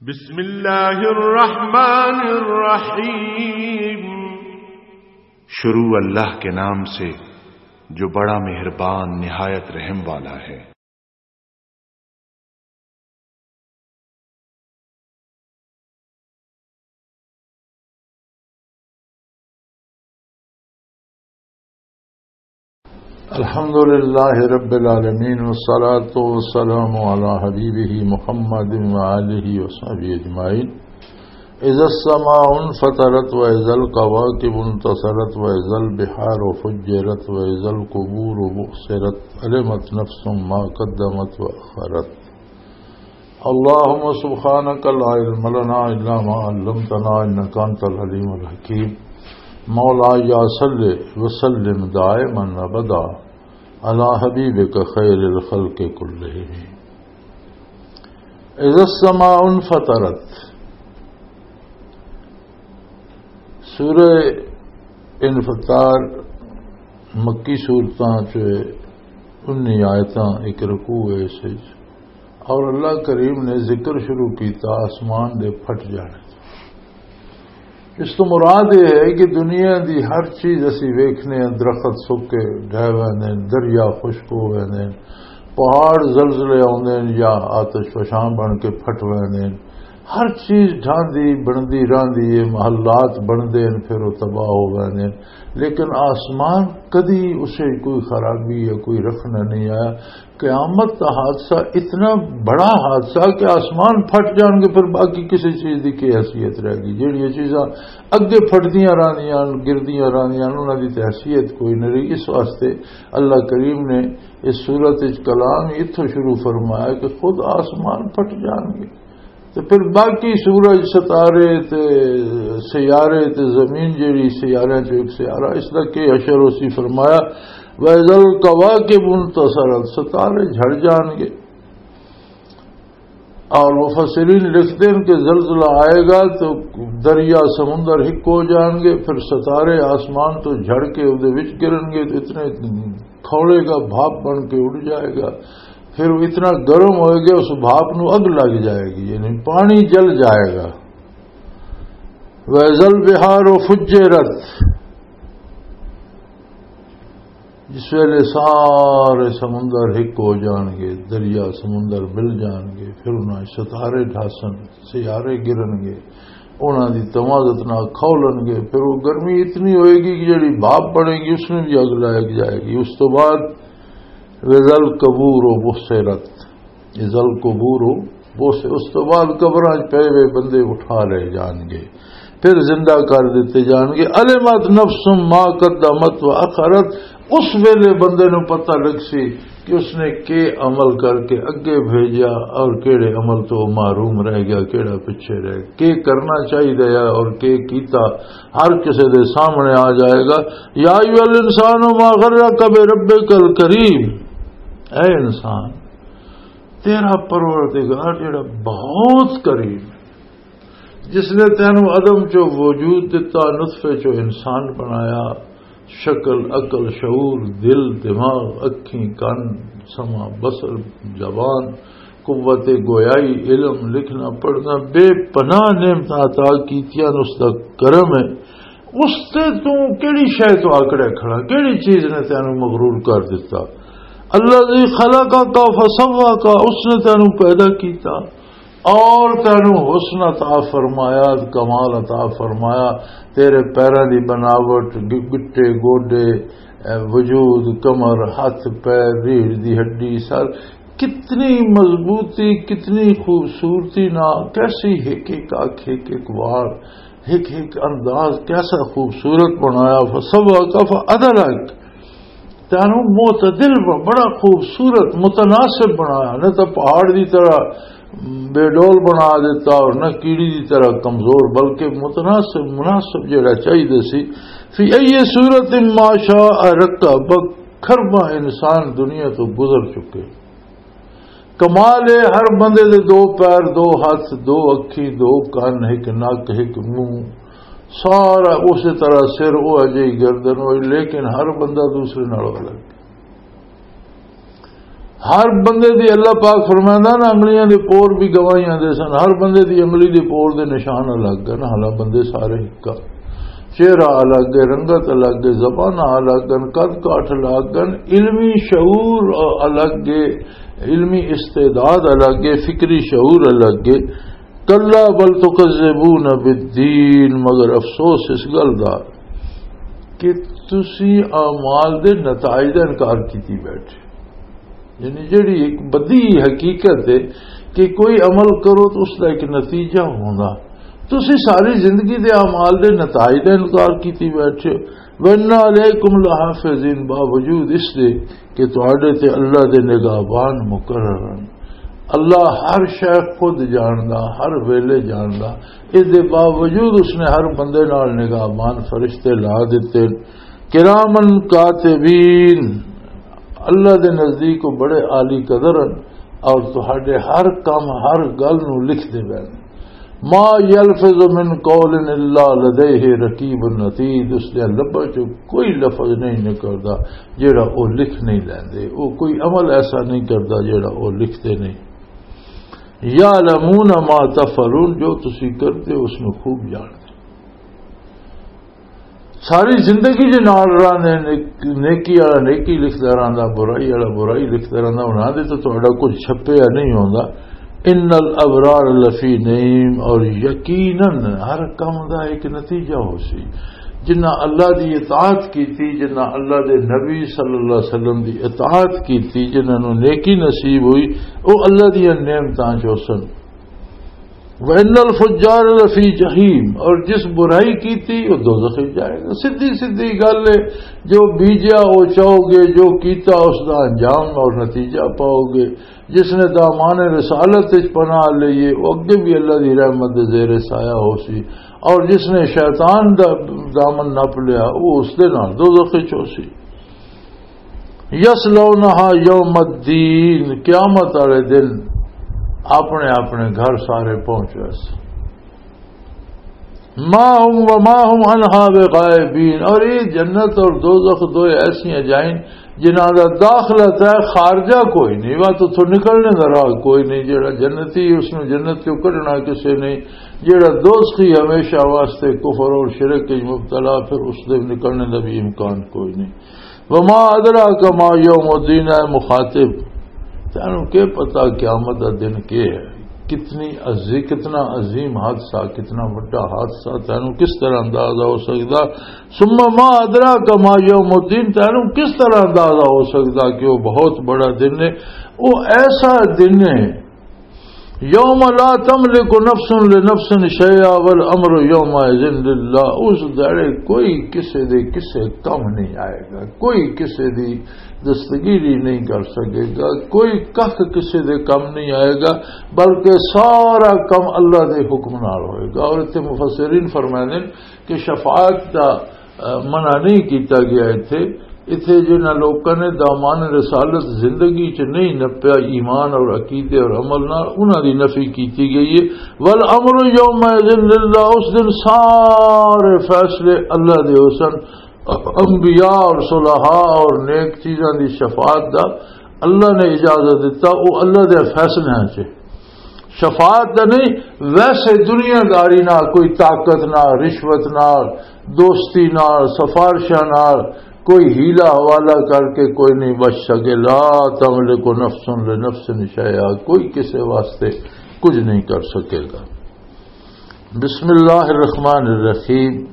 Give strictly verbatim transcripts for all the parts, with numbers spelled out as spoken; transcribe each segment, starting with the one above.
بسم اللہ الرحمن الرحیم۔ شروع اللہ کے نام سے، جو بڑا مہربان، نہایت رحم والا ہے۔ الحمد لله رب العالمين، والصلاة والسلام على حبيبه محمد وآله وصحبه أجمعين. إذا السماء انفطرت وإذا الكواكب انتثرت وإذا البحار فجرت وإذا القبور بعثرت، علمت نفس ما قدمت وأخرت. اللهم سبحانك لا علم لنا إلا ما علمتنا إنك أنت العليم الحكيم. مولاي صل وسلم دائما أبدا على حبيبك خير الخلق كلهم. إذا السماء انفطرت۔ سورہ انفطار مکی سورتاں چ انی آیتاں، ایک رکوع ہے اس وچ، اور اللہ کریم نے ذکر شروع کیتا آسمان دے پھٹ جانے۔ اس تو مراد یہ ہے کہ دنیا دی ہر چیز اسی ویکھنے ہیں، درخت سک کے ڈھہ ویندے ہیں، دریا خشک ہو ویندے ہیں، پہاڑ زلزلے آوندے ہیں یا آتش فشاں بن کے پھٹ ویندے ہیں۔ ہر چیز ڈھاندی بندی راندی ہے، محلات بندے ہیں، پھر وہ تباہ ہو ویندے ہیں۔ لیکن آسمان کدی اسے کوئی خرابی یا کوئی رکھنا نہیں آیا۔ قیامت دا حادثہ اتنا بڑا حادثہ کہ آسمان پھٹ جان گے، پھر باقی کسی چیز دی کی حیثیت رہ گئی؟ جہڑیاں چیزاں اگے پھٹدیاں راندیاں، گردیاں راندیاں، انہاں دی تے حیثیت کوئی نہیں رہی۔ اس واسطے اللہ کریم نے اس سورت وچ کلام ہی اتھوں شروع فرمایا کہ خود آسمان پھٹ جان گے۔ تے پھر باقی سورج، ستارے تے سیارے تے زمین، جیڑی سیاریاں چوں ایک سیارہ، اس دا کی حشر اسی؟ فرمایا، "وَإِذَا الْكَوَاكِبُ انْتَثَرَتْ"، ستارے جھڑ جان گے۔ اور مفسرین لکھتے ہیں کہ زلزلہ آئے گا تو دریا سمندر ہک ہو جان گے، پھر ستارے آسمان تو جھڑ کے اودے وچ گرن گے، تو اتنے کھولے گا، بھاپ بن کے اڑ جائے گا۔ پھر وہ اتنا گرم ہوئے گا، اس بھاپ نو اگ لگ جائے گی، یعنی پانی جل جائے گا۔ وَإِذَا الْبِحَارُ فُجِّرَتْ، جس ویلے سارے سمندر ہک ہو جان گے، دریا سمندر مل جان گے، پھر انہاں ستارے ڈھاسن، سیارے گرن گے، انہاں دی توازت نہ کھولن گے، پھر وہ گرمی اتنی ہوئے گی کہ جڑی بھاپ بنے گی، اس میں بھی اگ لگ جائے گی۔ اس تو بعد وَإِذَا الْقُبُورُ بُعْثِرَتْ، اذا القبور، اس، اس تو بعد قبراں وچ پئے ہوئے بندے اٹھا لے جان گے، پھر زندہ کر دتے جان گے۔ علمت نفس ما قدمت و اخرت، اس ویلے بندے نو پتہ لگ سی کہ اس نے کی عمل کر کے اگے بھیجا اور کیڑے عمل تو محروم رہ گیا، کیڑا پیچھے رہ گیا، کی کرنا چاہیے اور کی کیتا، ہر کسے دے سامنے آ جائے گا۔ یا ایھا الانسان ما غرک بربک الکریم، اے انسان، تیرا پروردگار جڑا بہت کریم ہے، جس نے تینوں عدم چو وجود دتا، نطفے چو انسان بنایا، شکل، عقل، شعور، دل، دماغ، اکھیں، کن، سمع، بصر، زبان، قوت گویائی، علم، لکھنا، پڑھنا، بے پناہ نعمتاں عطا کیتیاں، اس دا کرم ہے۔ اس تے تو کیڑی شے تو آکڑے کھڑا؟ کیڑی چیز نے تینوں مغرور کر دتا؟ الذی خلقک فسواک، اس نے تینوں پیدا کیتا اور تینوں حسن عطا فرمایا، کمال عطا فرمایا۔ تیرے پیراں دی بناوٹ، گ-، گٹے، گوڈے، اے، وجود، کمر، ہاتھ، پیر، ریڑھ دی ہڈی، سر، کتنی مضبوطی، کتنی خوبصورتی نہ، کیسی ہک ہک اکھ، ہک ہک وال، ہک ہک انداز کیسا خوبصورت بنایا۔ فسواک فعدلک، تینوں معتدل ب-، بڑا خوبصورت، متناسب بنایا۔ نہ تو پہاڑ دی طرح بے ڈول بنا دیتا اور نہ کیڑی دی طرح کمزور، بلکہ متناسب، مناسب جڑا چاہیے سی۔ فی ای صورت ما شاء رکبک، کھرباں انسان دنیا تو گزر چکے۔ کمال ہے، ہر بندے دے دو پیر، دو ہاتھ، دو اکھی، دو کن، ایک نک، ایک منہ، سارا اسی طرح، سر او اجے ہی، گردن او، لیکن ہر بندہ دوسرے نال الگ۔ ہر بندے دی، اللہ پاک فرمائندا نا، انگلیاں دے پور بھی گواہیاں دے سن۔ ہر بندے دی انگلی دے پور دے نشان الگ ہے نا، حالانکہ بندے سارے ایک آ۔ چہرہ الگ ہے، رنگت الگ ہے، زباناں الگ ہیں، قد کاٹھ الگ ہیں، علمی شعور الگ ہے، علمی استعداد الگ ہے، فکری شعور الگ ہے۔ کلا بل تکذبون بالدین، مگر افسوس اس گل دا کہ تسی اعمال دے نتائج دا انکار کیتی بیٹھے۔ یعنی جڑی ایک بدی حقیقت ہے کہ کوئی عمل کرو تو اس دا ایک نتیجہ ہوندا، تسی ساری زندگی دے اعمال دے نتائج دا انکار کیتی بیٹھے ہو۔ وَإِنَّ عَلَيْكُمْ لَحَافِظِينَ، باوجود اس دے کہ تہاڈے تے اللہ دے نگہبان مقرر ہیں۔ اللہ ہر شے خود جاندا، ہر ویلے جاندا، اس دے باوجود اس نے ہر بندے نال نگہبان فرشتے لا دتے۔ کرامن کاتبین، اللہ دے نزدیک وہ بڑے عالی قدر ہیں اور تہاڈے ہر کم، ہر گل نو لکھ دے پے۔ ما یلفظ من قول الا لدیہ رقیب عتید، اس دے لباں چوں کوئی لفظ نہیں نکلدا جیڑا او لکھ نہیں لیندے، او کوئی عمل ایسا نہیں کردا جیڑا او لکھدے نہیں۔ یعلمون ما تفعلون، جو تسی کردے اس نو خوب جاندے۔ ساری زندگی دے نال رہندے، نیک-، نیکی والا نیکی لکھدا رہندا، برائی والا برائی لکھدا رہندا، انہاں دے تو تہاڈا کچھ چھپیا نہیں ہوندا۔ ان الابرار لفی نعیم، اور یقیناً ہر کم دا ایک نتیجہ ہو سی۔ جنہاں اللہ دی اطاعت کیتی، جنہاں اللہ دے نبی صلی اللہ علیہ وسلم دی اطاعت کیتی، جنہاں نوں نیکی نصیب ہوئی، او اللہ دیاں نعمتاں چ ہوسن۔ وَإِنَّ الْفُجَّارَ لَفِي جَحِيمٍ، اور جس برائی کیتی وہ دوزخ وچ جائے گا۔ سیدھی سیدھی گل ہے، جو بیجیا وہ چاہو گے، جو کیتا اس دا انجام اور نتیجہ پاؤ گے۔ جس نے دامان رسالت وچ پناہ لئیے، وہ اگے بھی اللہ دی رحمت دے زیر سایہ ہو سی، اور جس نے شیطان دا دامن نپ لیا، وہ اس دے نال دوزخ وچ ہو سی۔ یصلونہا یوم الدین، قیامت والے دن اپنے اپنے گھر سارے پہنچ ویسے۔ ما ہم وما ہم عنہا بغائبین، اور یہ جنت اور دوزخ دو ایسی جائیں جنہاں دا داخلہ طے، خارجہ کوئی نہیں، وا تو اتھوں نکلنے دا راہ کوئی نہیں۔ جڑا جنتی اس نوں جنت چوں کڈنا کسے نہیں، جڑا دوزخی ہمیشہ واسطے کفر اور شرک وچ مبتلا، پھر اس دے نکلنے دا بھی امکان کوئی نہیں۔ وما ادراک ما یوم الدین، اے مخاطب، تینوں کی پتا قیامت دا دن کی ہے؟ کتنی عظی-، کتنا عظیم حادثہ، کتنا بڑا حادثہ، تینوں کس طرح اندازہ ہو سکدا؟ ثم ما ادراک ما یوم الدین، تینوں کس طرح اندازہ ہو سکدا کہ وہ بہت بڑا دن ہے؟ وہ ایسا دن ہے، یوم لا تملک نفس لنفس شیئا والامر یومئذ للہ، اس دڑے کوئی کسے دے کسے کم نہیں آئے گا، کوئی کسے دی دستگیری نہیں کر سکے گا، کوئی کخ کسے دے کم نہیں آئے گا، بلکہ سارا کم اللہ دے حکم نال ہوئے گا۔ اور اتنے مفسرین فرماندے کہ شفاعت دا، آ، منع نہیں کیتا گیا۔ اتھے، اتھے جنہاں لوکاں نے دامان رسالت زندگی چ نہیں نپیا، ایمان اور عقیدے اور عمل نال، انہاں دی نفی کیتی گئی ہے۔ والامر یومئذ للہ، اس دن سارے فیصلے اللہ دے حسن، انبیاء اور صلحاء اور نیک چیزاں دی شفاعت دا اللہ نے اجازت دیتا، وہ اللہ دے فیصلے چ۔ شفاعت دا نہیں، ویسے دنیا داری نال، کوئی طاقت نال، رشوت نال، دوستی نال، سفارشاں نال، کوئی حیلہ حوالہ کر کے کوئی نہیں بچ سکے۔ لا تملک نفس لنفس شیئا، کوئی کسے واسطے کچھ نہیں کر سکے گا۔ بسم اللہ الرحمن الرحیم۔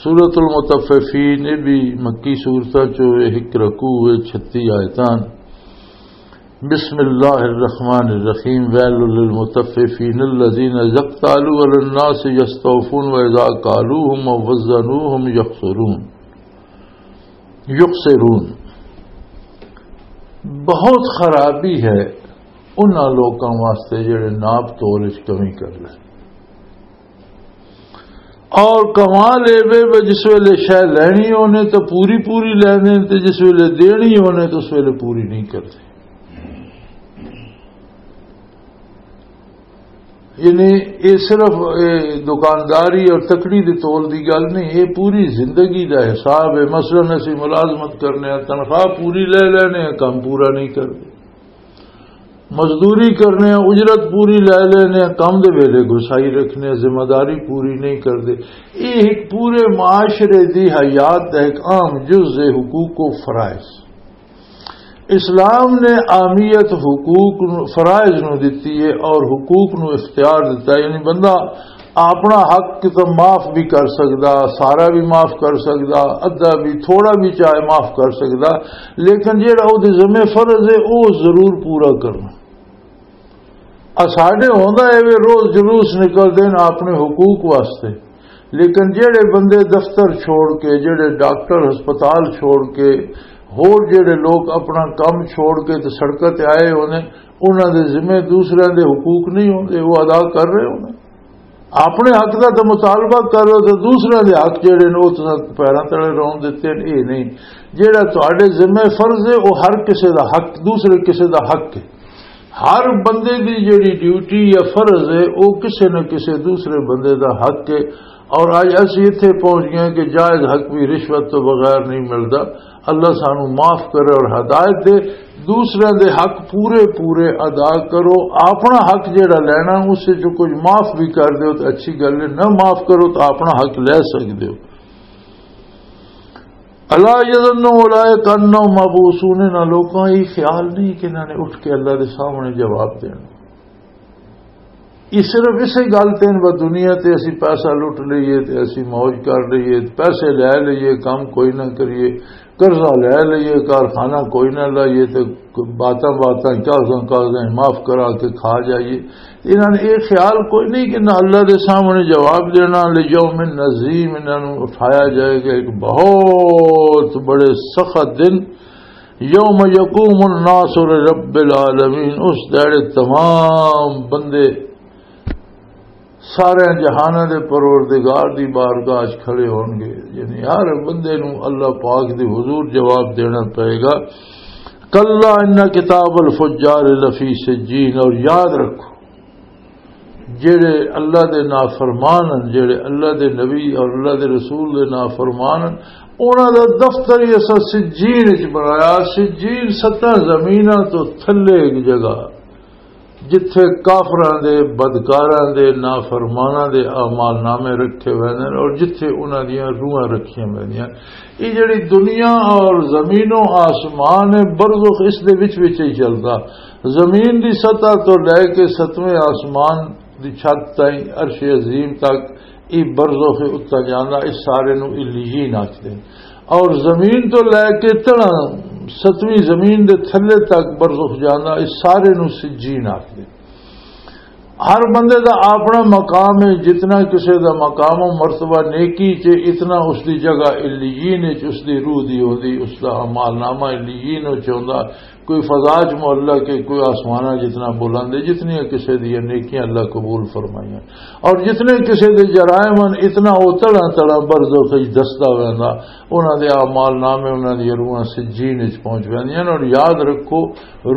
سورۃ المطففین، یہ بھی مکی سورتاں چوں، ایک رکوع ہے، چھتی آیتاں۔ بسم اللہ الرحمن الرحیم۔ ویل للمطففین الذین اذا اکتالوا علی الناس یستوفون و اذا کالوہم او وزنوہم یخسرون، یخسرون۔ بہت خرابی ہے انہاں لوکاں واسطے جڑے ناپ تول وچ کمی کر لے۔ اور کمال اے وے، وے جس ویلے شے لینی ہونے تو پوری پوری لیندے، تے جس ویلے دینی ہونے تو اس ویلے پوری نہیں کردے۔ یعنی، یہ صرف، اے، دکانداری اور تکڑی دے تول دی گل نہیں، یہ پوری زندگی دا حساب ہے۔ مثلاً، اسی ملازمت کرنے ہیں، تنخواہ پوری لے لینے ہیں، کم پورا نہیں کرتے۔ مزدوری کرنے ہیں، اجرت پوری لے لینے ہیں، کم دے ویلے گسائی رکھنے ہیں، ذمہ داری پوری نہیں کرتے۔ یہ ایک پورے معاشرے دی حیات دا ایک اہم جز ہے، حقوق و فرائض۔ اسلام نے اہمیت حقوق نو، فرائض نو دتی ہے اور حقوق نو اختیار دتا ہے۔ یعنی بندہ اپنا حق تو معاف بھی کر سکدا، سارا بھی معاف کر سکدا، ادھا بھی، تھوڑا بھی چاہے معاف کر سکدا، لیکن جہڑا وہ ذمہ فرض ہے، وہ ضرور پورا کرنا۔ آ ساڈے ہوندا ہے وے روز جلوس نکلدے نے اپنے حقوق واسطے، لیکن جہڑے بندے دفتر چھوڑ کے، جہڑے ڈاکٹر ہسپتال چھوڑ کے، ہور جہڑے لوگ اپنا کم چھوڑ کے تے سڑکاں تے آئے ہونے، انہاں دے ذمے دوسرے دے حقوق نہیں ہوندے، وہ ادا کر رہے ہونے۔ اپنے حق دا تے مطالبہ کرو تے دوسرے دے حق جہڑے نے، وہ تساں پیراں تلے رون دتے نے، یہ نہیں۔ جہڑا تہاڈے ذمے فرض ہے، وہ ہر کسے دا حق، دوسرے کسے دا حق ہے۔ ہر بندے دی جڑی ڈیوٹی یا فرض ہے، او کسے نہ کسے دوسرے بندے دا حق ہے۔ اور اج اسی اتھے پہنچ گئے کہ جائز حق بھی رشوت تو بغیر نہیں ملدا۔ اللہ سانو معاف کرے اور ہدایت دے۔ دوسرے دے حق پورے پورے ادا کرو۔ اپنا حق جڑا لینا، اس سے جو کچھ معاف بھی کر دیو تو اچھی گل ہے، نہ معاف کرو تو اپنا حق لے سکدے ہو۔ الا یظن اولئک انہم مبعوثون، انہاں لوکاں یہ خیال نہیں کہ انہاں نے اٹھ کے اللہ دے سامنے جواب دینا۔ یہ صرف اسے گل تے نے، بس دنیا تے اسی پیسہ لٹ لئیے تے اسی موج کر لئیے، پیسے لے لئیے، کام کوئی نہ کریے، قرضہ لے لئیے، کارخانہ کوئی نہ لائیے تے باتاں باتاں، کاغذاں کاغذاں معاف کرا کے کھا جائیے۔ انہاں نے یہ خیال کوئی نہیں کہ نہ اللہ دے سامنے جواب دینا، لیوم عظیم، انہاں نوں اٹھایا جائے گا ایک بہت بڑے سخت دن، یوم یقوم الناس لرب العالمین، اس دیہڑے تمام بندے سارے جہاناں دے پروردگار دی بارگاہ وچ کھڑے ہون گے۔ یعنی ہر بندے نوں اللہ پاک دے حضور جواب دینا پئے گا۔ کلا ان کتاب الفجار لفی سجین، اور یاد رکھو، جڑے اللہ دے نافرمان ہن، جڑے اللہ دے نبی اور اللہ دے رسول دے نافرمان ہن، انہاں دا دفتر ہی اساں سجین وچ بنایا۔ سجین ستاں زمیناں تو تھلے ایک جگہ، جتھے کافراں دے، بدکاراں دے، نافرماناں دے اعمال نامے رکھے ہوئے نے اور جتھے انہاں دیاں روحاں رکھیاں ہوئیاں۔ یہ جڑی دنیا اور زمین و آسمان ہے، برزخ اس دے وچ وچ ہی چلدا۔ زمین دی سطح تو لے کے ستویں آسمان دی چھت تائیں، عرش عظیم تک، یہ برزخ اتنا جانا، اس سارے نو علیین آکھدے۔ اور زمین تو لے کے تڑا ستویں زمین دے تھلے تک برزخ جانا، اس سارے نو سجین آکھدے۔ ہر بندے دا اپنا مقام ہے، جتنا کسے دا مقام و مرتبہ نیکی چ، اتنا اس دی جگہ علیین چ اس دی روح دی ہوندی، اس دا اعمال نامہ علیین چ ہوندا۔ کوئی فضا چ معلق ہے، کوئی آسماناں جتنا بلند ہے، جتنی کسے دی نیکیاں اللہ قبول فرمائیاں، اور جتنے کسے دے جرائم ہن، اتنا او تڑا تڑا برزخ وچ دسدا ویندا۔ انہاں دے اعمال نامے، انہاں دی روحاں سجین وچ پہنچ ویندیاں نے۔ اور یاد رکھو،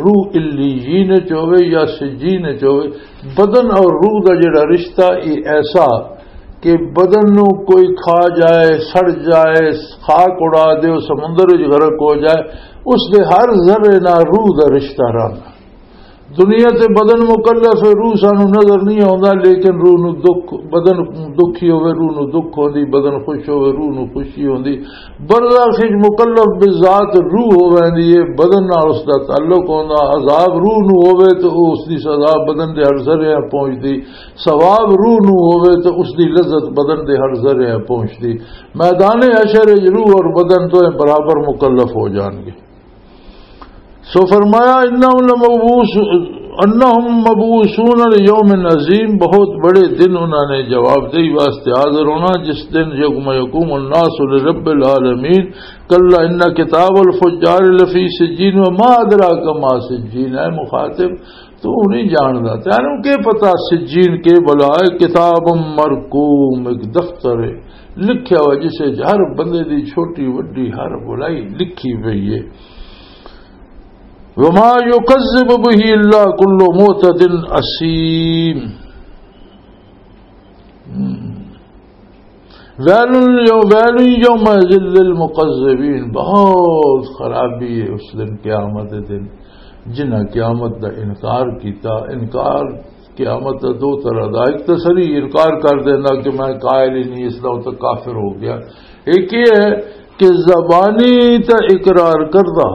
روح علیین وچ ہوے یا سجین وچ ہوے، بدن اور روح دا جڑا رشتہ، یہ ایسا کہ بدن نو کوئی کھا جائے، سڑ جائے، خاک اڑا دے، سمندر وچ غرق ہو جائے، اس دے ہر ذرے نال روح دا رشتہ رہندا۔ دنیا تے بدن مکلف ہے، روح سانو نظر نہیں آوندا، لیکن روح نو دکھ، بدن دکھی ہوے، روح نو دکھ ہوندی، بدن خوش ہوے، روح نو خوشی ہوندی۔ برزخ وچ مکلف بذات روح ہو ویندی ہے، بدن نال اس دا تعلق ہوندا۔ عذاب روح نو ہوے تے او اس دی سزا بدن دے ہر ذرے پہنچدی، ثواب روح نو ہوے تے اس دی لذت بدن دے ہر ذرے پہنچدی۔ میدان حشر وچ روح اور بدن دوئے برابر مکلف ہو جان گے۔ سو فرمایا، انہم لمبعوث، انہم مبعوثون لیوم عظیم، بہت بڑے دن انہاں نے جواب دہی واسطے حاضر ہونا، جس دن یوم یقوم الناس لرب العالمین۔ کلا ان کتاب الفجار لفی سجین وما ادراک ما سجین۔ اے مخاطب، تو نہیں جاندا، تینوں کی پتا سجین کے بلا ہے؟ کتاب مرقوم، ایک دفتر ہے، لکھیا ہوا جسے ہر بندے دی چھوٹی وڈی ہر بلائی لکھی پئی ہے۔ وما یکذب به الا کل معتد اثیم۔ ویل یو-، ویل یومئذ للمکذبین، بہت خرابی ہے اس دن، قیامت دے دن، جنہاں قیامت دا انکار کیتا۔ انکار قیامت دا دو طرح دا، ایک تو سری انکار کر دینا کہ میں قائل ہی نہیں، اس دا تو کافر ہو گیا۔ ایک یہ ہے کہ زبانی تے اقرار کردا،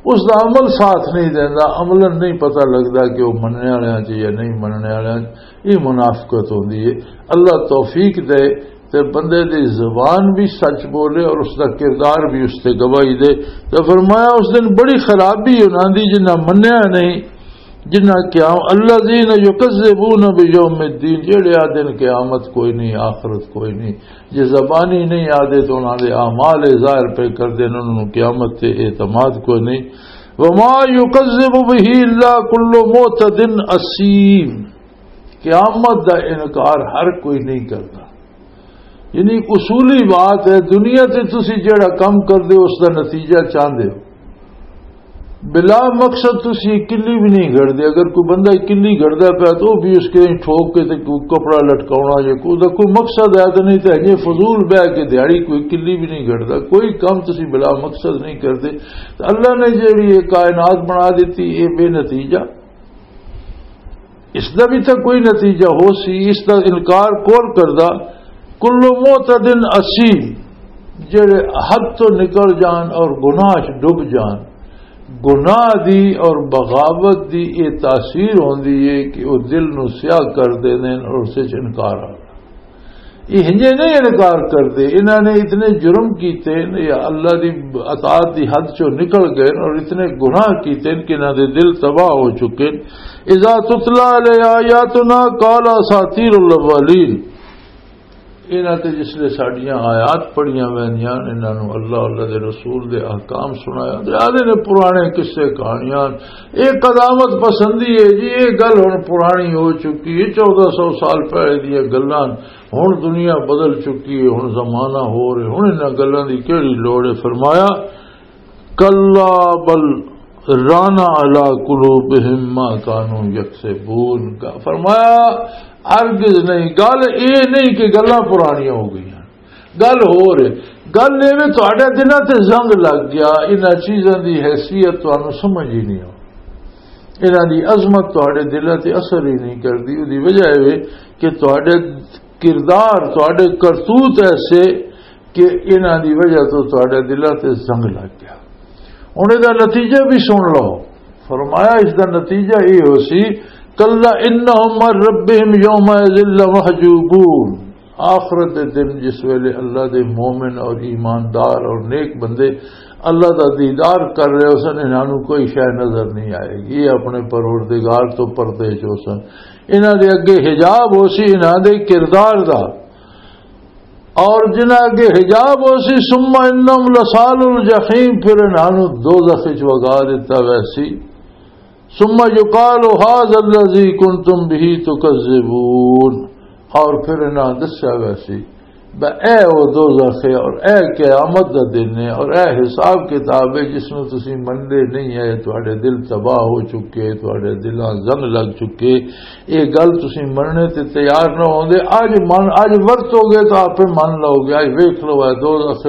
اس دا عمل ساتھ نہیں دیندا، عملاً نہیں پتہ لگدا کہ وہ مننے والیاں چ یا نہیں مننے والیاں چ۔ یہ منافقت ہوندی ہے۔ اللہ توفیق دے تے بندے دی زبان بھی سچ بولے اور اس دا کردار بھی اس تے گواہی دے۔ تے فرمایا، اس دن بڑی خرابی انہاں دی جنہاں منیا نہیں، جنہاں کیا، الذین یکذبون بیوم الدین، جڑے آ دن قیامت کوئی نہیں، آخرت کوئی نہیں، جے زبانی نہیں آدے تو انہاں دے اعمال ظاہر پہ کر دین، انہاں نوں قیامت تے اعتماد کوئی نہیں۔ وما یکذب به الا کل معتد اثیم، قیامت دا انکار ہر کوئی نہیں کردا۔ یعنی اصولی بات ہے، دنیا تے تسی جڑا کم کردے ہو، اس دا نتیجہ چاہندے ہو۔ بلا مقصد تسی کلی بھی نہیں گھڑدے۔ اگر کوئی بندہ کلی گھڑدا پیا تو وہ بھی اس کے ٹھوک کے تے کوئی کپڑا لٹکاونا یا کوئی، دا کوئی مقصد ہے تو نہیں تے ہجے فضول بہ کے دیہاڑی کوئی کلی بھی نہیں گھڑدا۔ کوئی کم تسی بلا مقصد نہیں کردے۔ تے اللہ نے جڑی یہ کائنات بنا دیتی، یہ بے نتیجہ، اس دا بھی تاں کوئی نتیجہ ہو سی، اس دا انکار کون کردا؟ کل معتد اثیم، جڑے حد تو نکل جان اور گناہ چ ڈب جان۔ گناہ دی اور بغاوت دی یہ تاثیر ہوندی ہے کہ وہ دل نو سیاہ کر دیندے نے اور اس وچ انکار آ۔ یہ ہنجے نہیں انکار کردے، انہاں نے اتنے جرم کیتے نے یا اللہ دی اطاعت دی حد چوں نکل گئے اور اتنے گناہ کیتے نے کہ انہاں دے دل تباہ ہو چکے نے۔ اذا تتلی علیہ آیاتنا قال اساطیر الاولین، انہاں تے جس لے ساڈیاں آیات پڑھیاں ویندیاں، انہاں نوں اللہ، اللہ دے رسول دے احکام سنایا تے آدھے نے پرانے قصے کہانیاں، یہ قدامت پسندی ہے جی، یہ گل ہن پرانی ہو چکی ہے، چودہ سو سال پہلے دیاں گلاں، ہن دنیا بدل چکی ہے، ہن زمانہ ہو رہے، ہن انہاں گلاں دی کیڑی لوڑ ہے؟ فرمایا، کلا بل رانا علی قلوبہم ما کانوا یکسبون۔ فرمایا، ہرگز نہیں، گل یہ نہیں کہ گلاں پرانیاں ہو گئیاں، گل ہو رہے، گل ایویں تہاڈے دلاں تے زنگ لگ گیا، انہاں چیزاں دی حیثیت تانوں سمجھ ہی نہیں ہو، انہاں دی عظمت تہاڈے دلاں تے اثر ہی نہیں کردی۔ اودی وجہ اے وے کہ تہاڈے کردار، تہاڈے کرتوت ایسے کہ انہاں دی وجہ تو تہاڈے دلاں تے زنگ لگ گیا۔ ہن اے دا نتیجہ بھی سن لو۔ فرمایا، اس دا نتیجہ یہ ہو سی، کلا انہم عن ربہم یومئذ لمحجوبون۔ آخرت دے دن جس ویلے اللہ دے مومن اور ایماندار اور نیک بندے اللہ دا دیدار کر رہے ہو سن، انہاں نوں کوئی شے نظر نہیں آئے گی، یہ اپنے پروردگار تو پردے چ ہو سن۔ انہاں دے اگے حجاب ہو سی انہاں دے کردار دا، اور جنہاں اگے حجاب ہو سی، ثم انہم لصال الجحیم، پھر انہاں نوں دوزخ وچ وگا دتا ویسی۔ ثم یقال ھذا الذی کنتم بہ تکذبون، اور پھر انہاں دسیا ویسی بہ اے او دوزخ ہے اور اے قیامت دا دن ہے اور اے حساب کتاب ہے جس نوں تسی مندے نہیں ہے، تہاڈے دل تباہ ہو چکے، تہاڈے دلاں زنگ لگ چکے، یہ گل تسی مننے تے تیار نہ ہوندے۔ اج من، اج ورتو گے تو آپے من لو گے۔ اج ویکھ لو، اے دوزخ،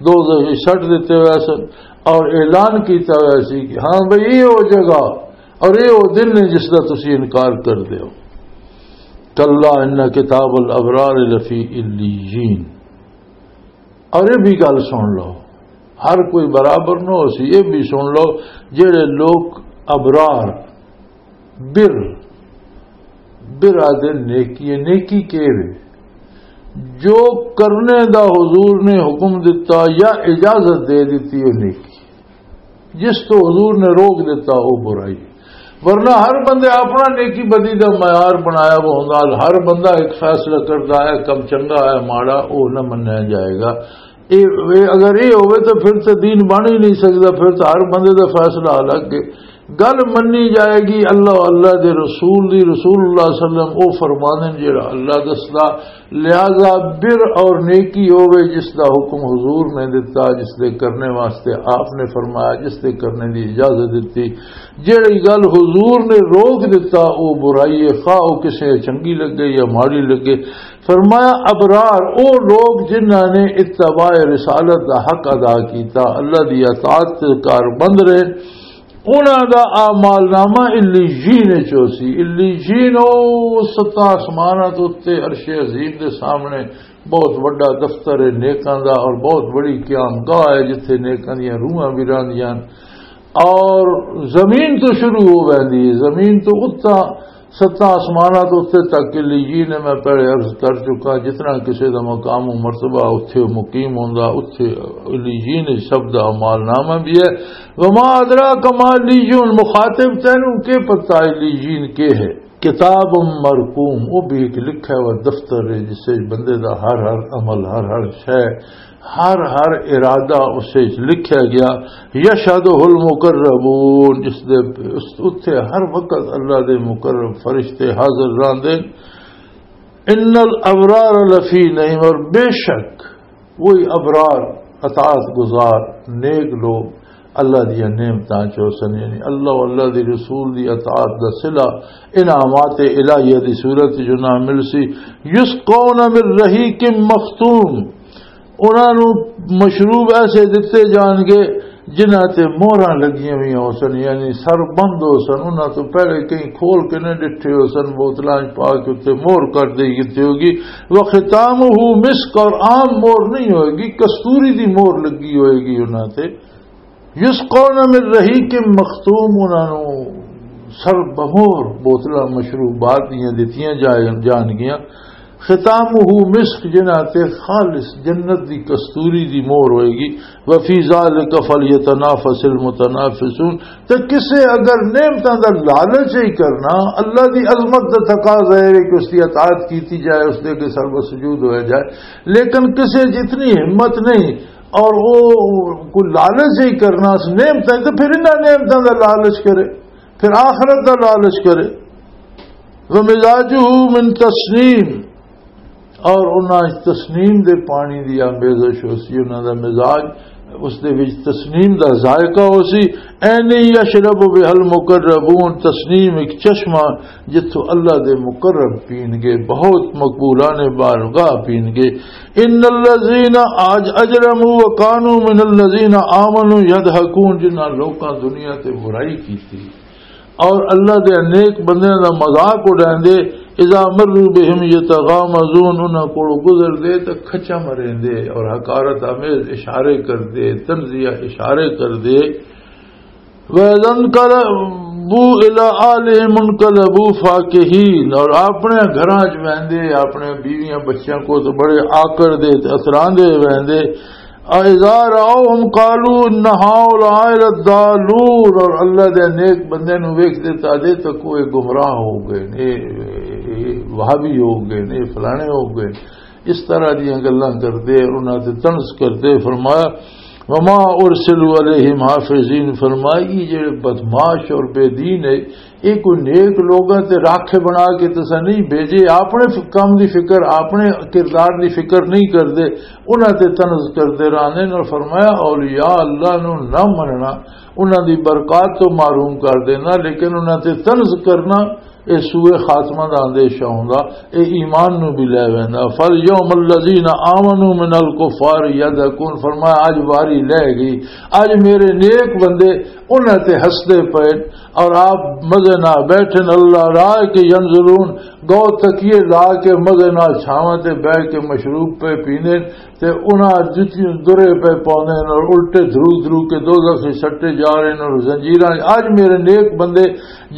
دوزخ وچ سٹ دتے ہوئے سن اور اعلان کیتا ہویا سی کہ ہاں بھئی، یہ وہ جگہ اور یہ وہ دن ہے جس دا تسی انکار کر دیو۔ کلا ان کتاب الابرار لفی علیین۔ اور یہ بھی گل سن لو، ہر کوئی برابر نہ ہو سی، یہ بھی سن لو، جڑے لوگ ابرار، بر، بر آدھے نیکی ہے، نیکی کے وے؟ جو کرنے دا حضور نے حکم دتا یا اجازت دے دیتی ہے نیکی، جس تو حضور نے روک دیتا وہ برائی۔ ورنہ ہر بندے اپنا نیکی بدی دا معیار بنایا وہ ہوندا، ہر بندہ ایک فیصلہ کردا ہے، کم چنگا ہے ماڑا، وہ نہ منیا جائے گا۔ اے، اے، اگر یہ ہوئے تو پھر تو دین بن ہی نہیں سکدا، پھر تو ہر بندے دا فیصلہ الگ ہے۔ گل منی جائے گی اللہ، اللہ دے رسول دی۔ رسول اللہ صلی اللہ علیہ وسلم او فرماندے نے جڑا اللہ دسدا۔ لہذا بر اور نیکی ہوے جس دا حکم حضور نے دتا، جس دے کرنے واسطے آپ نے فرمایا، جس دے کرنے دی اجازت دتی، جڑی گل حضور نے روک دتا، او برائی ہے، خواہ او کسے چنگی لگے یا ماڑی لگے۔ فرمایا، ابرار او لوگ جنہاں نے اتباع رسالت دا حق ادا کیتا، اللہ دی اطاعت تے کار بند رہے، انہاں دا اعمال نامہ علیین وچ ہوسی۔ علیین او ستاں آسماناں تے اتے عرش عظیم دے سامنے بہت وڈا دفتر ہے نیکاں دا، اور بہت بڑی قیام گاہ ہے جتھے نیکاں دیاں روحاں بھی راندیاں۔ اور زمین تو شروع ہو ویندی ہے، زمین تو اتنا، ستاں آسماناں تو اتنے تک علیین ہے، میں پہلے عرض کر چکا، جتنا کسی دا مقام و مرتبہ اتھے مقیم ہوندا، اتھے علیین شبد اعمال نامہ بھی ہے۔ وما ادراک ما علیین، مخاطب تینوں کے پتہ علیین کے ہے؟ کتاب مرقوم، وہ بھی ایک لکھا ہوا دفتر ہے جس سے بندے دا ہر ہر عمل، ہر ہر شے، ہر ہر ارادہ اس وچ لکھیا گیا۔ یشہدہ المقربون، جس دے اس، اتھے ہر وقت اللہ دے مقرب فرشتے حاضر رہندے۔ ان الابرار لفی نعیم، اور بے شک وہی ابرار، اطاعت گزار، نیک لوگ اللہ دیاں نعمتاں چ ہوسن، یعنی اللہ و اللہ دی رسول دی اطاعت دا صلہ انعامات الہیہ دی صورت جو نہ مل سی۔ یسقون من رحیق مختوم، انہاں نوں مشروب ایسے دتے جان گے جنہاں تے مہراں لگیاں ہوئی ہوسن، یعنی سر بند ہوسن، انہاں تو پہلے کہیں کھول کے نہ ڈٹھے ہوسن، بوتلاں چ پا کے اتنے مہر کر دی گئی ہوگی۔ وختامہ مسک، اور عام مہر نہیں ہوئے گی، کستوری دی مہر لگی ہوئے گی انہاں تے۔ یسقون من رحیق مختوم، انہاں نوں سر بمور بوتلاں مشروبات دیاں دتیاں جا-، جان گیاں۔ ختامہ مسک، جنہاں تے خالص جنت دی کستوری دی مور ہوئے گی۔ وفی ذالک فلیتنافس المتنافسون، تے کسے اگر نعمتاں دا لالچ ہی کرنا، اللہ دی عظمت دا تقاضا ہے کہ اس دی اطاعت کیتی جائے، اس دے کے سر بسجود ہویا جائے، لیکن کسے جتنی ہمت نہیں، اور وہ کوئی لالچ ہی کرنا اس نعمتاں، تو پھر انہاں نعمتاں دا لالچ کرے، پھر آخرت دا لالچ کرے۔ ومزاجہ من تسنیم، اور انہاں تسنیم دے پانی دی آمیزش ہو سی، انہاں دا مزاج اس دے وچ تسنیم دا ذائقہ ہو سی۔ اینی یشرب بہل مقربون، تسنیم ایک چشمہ جتھوں اللہ دے مقرب پین گے، بہت مقبولان بارگاہ پین گے۔ ان الذین اج-، اجرموا وکانوا من الذین آمنوا یضحکون، جنہاں لوکاں دنیا تے برائی کیتی اور اللہ دے نیک بندیاں دا مذاق اڑاندے، اذا مروا بہم یتغامزون، انہاں کولوں گزر دے تے کھچا مریندے اور حقارت آمیز اشارے کردے، طنزیہ اشارے کردے۔ وَإِذَا انْقَلَبُوا إِلَىٰ أَهْلِهِمْ انْقَلَبُوا فَكِهِينَ، اور اپنے گھراں چ ویندے، اپنے بیویاں بچیاں کو تو بڑے آکڑ دے تے اتراندے ویندے۔ اذا رأوهم قالوا ان هؤلاء لضالون، اور اللہ دے نیک بندے نو ویکھ دے تا دے تو کوئی گمراہ ہو گئے نے، وہابی ہو گئے نے، فلانے ہو گئے۔ اس طرح دیاں گلاں کردے اور انہاں تے طنز کردے۔ فرمایا، وما ارسلوا علیہم حافظین، فرمایا، یہ جڑے بدمعاش اور بے دین ہے، یہ کوئی نیک لوگاں تے راکھے بنا کے تساں نہیں بھیجے، اپنے ف-، کام دی فکر، اپنے کردار دی فکر نہیں کردے، انہاں تے طنز کردے رہنے۔ اور فرمایا، اولیاء اللہ نو نہ مننا، انہاں دی برکات تو محروم کر دینا، لیکن انہاں تے طنز کرنا، اے سوء خاتمہ دا اندیشہ ہوندا، اے ایمان نو بھی لے ویندا۔ فالیوم الذین آمنوا من الکفار یضحکون، فرمایا، اج واری لے گئی، اج میرے نیک بندے انہاں تے ہسدے پئے اور آپ مزے نال بیٹھے نے، اللہ رائے کے ینظرون، گو تکیے لا کے مزے نال چھاواں تے بیٹھ کے مشروب پہ پینے، تے انہاں جتیاں درے پہ پاوندے نے اور الٹے دھرو دھرو کے دوزخ سے سٹے جا رہے نے اور زنجیراں۔ اج میرے نیک بندے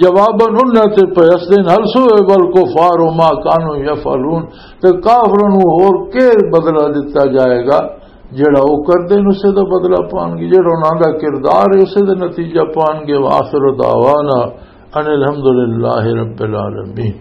جواباً انہاں تے پہ ہسدے نے، هل ثوب الکفار ما کانوا یفعلون، تے کافراں نوں ہور کے بدلہ دتا جائے گا؟ جڑا وہ کردے نے، اسے دا بدلہ پان گے، جڑا انہاں دا کردار ہے، اسے دا نتیجہ پان گے۔ وآخر دعوانا ان الحمد للہ رب العالمین۔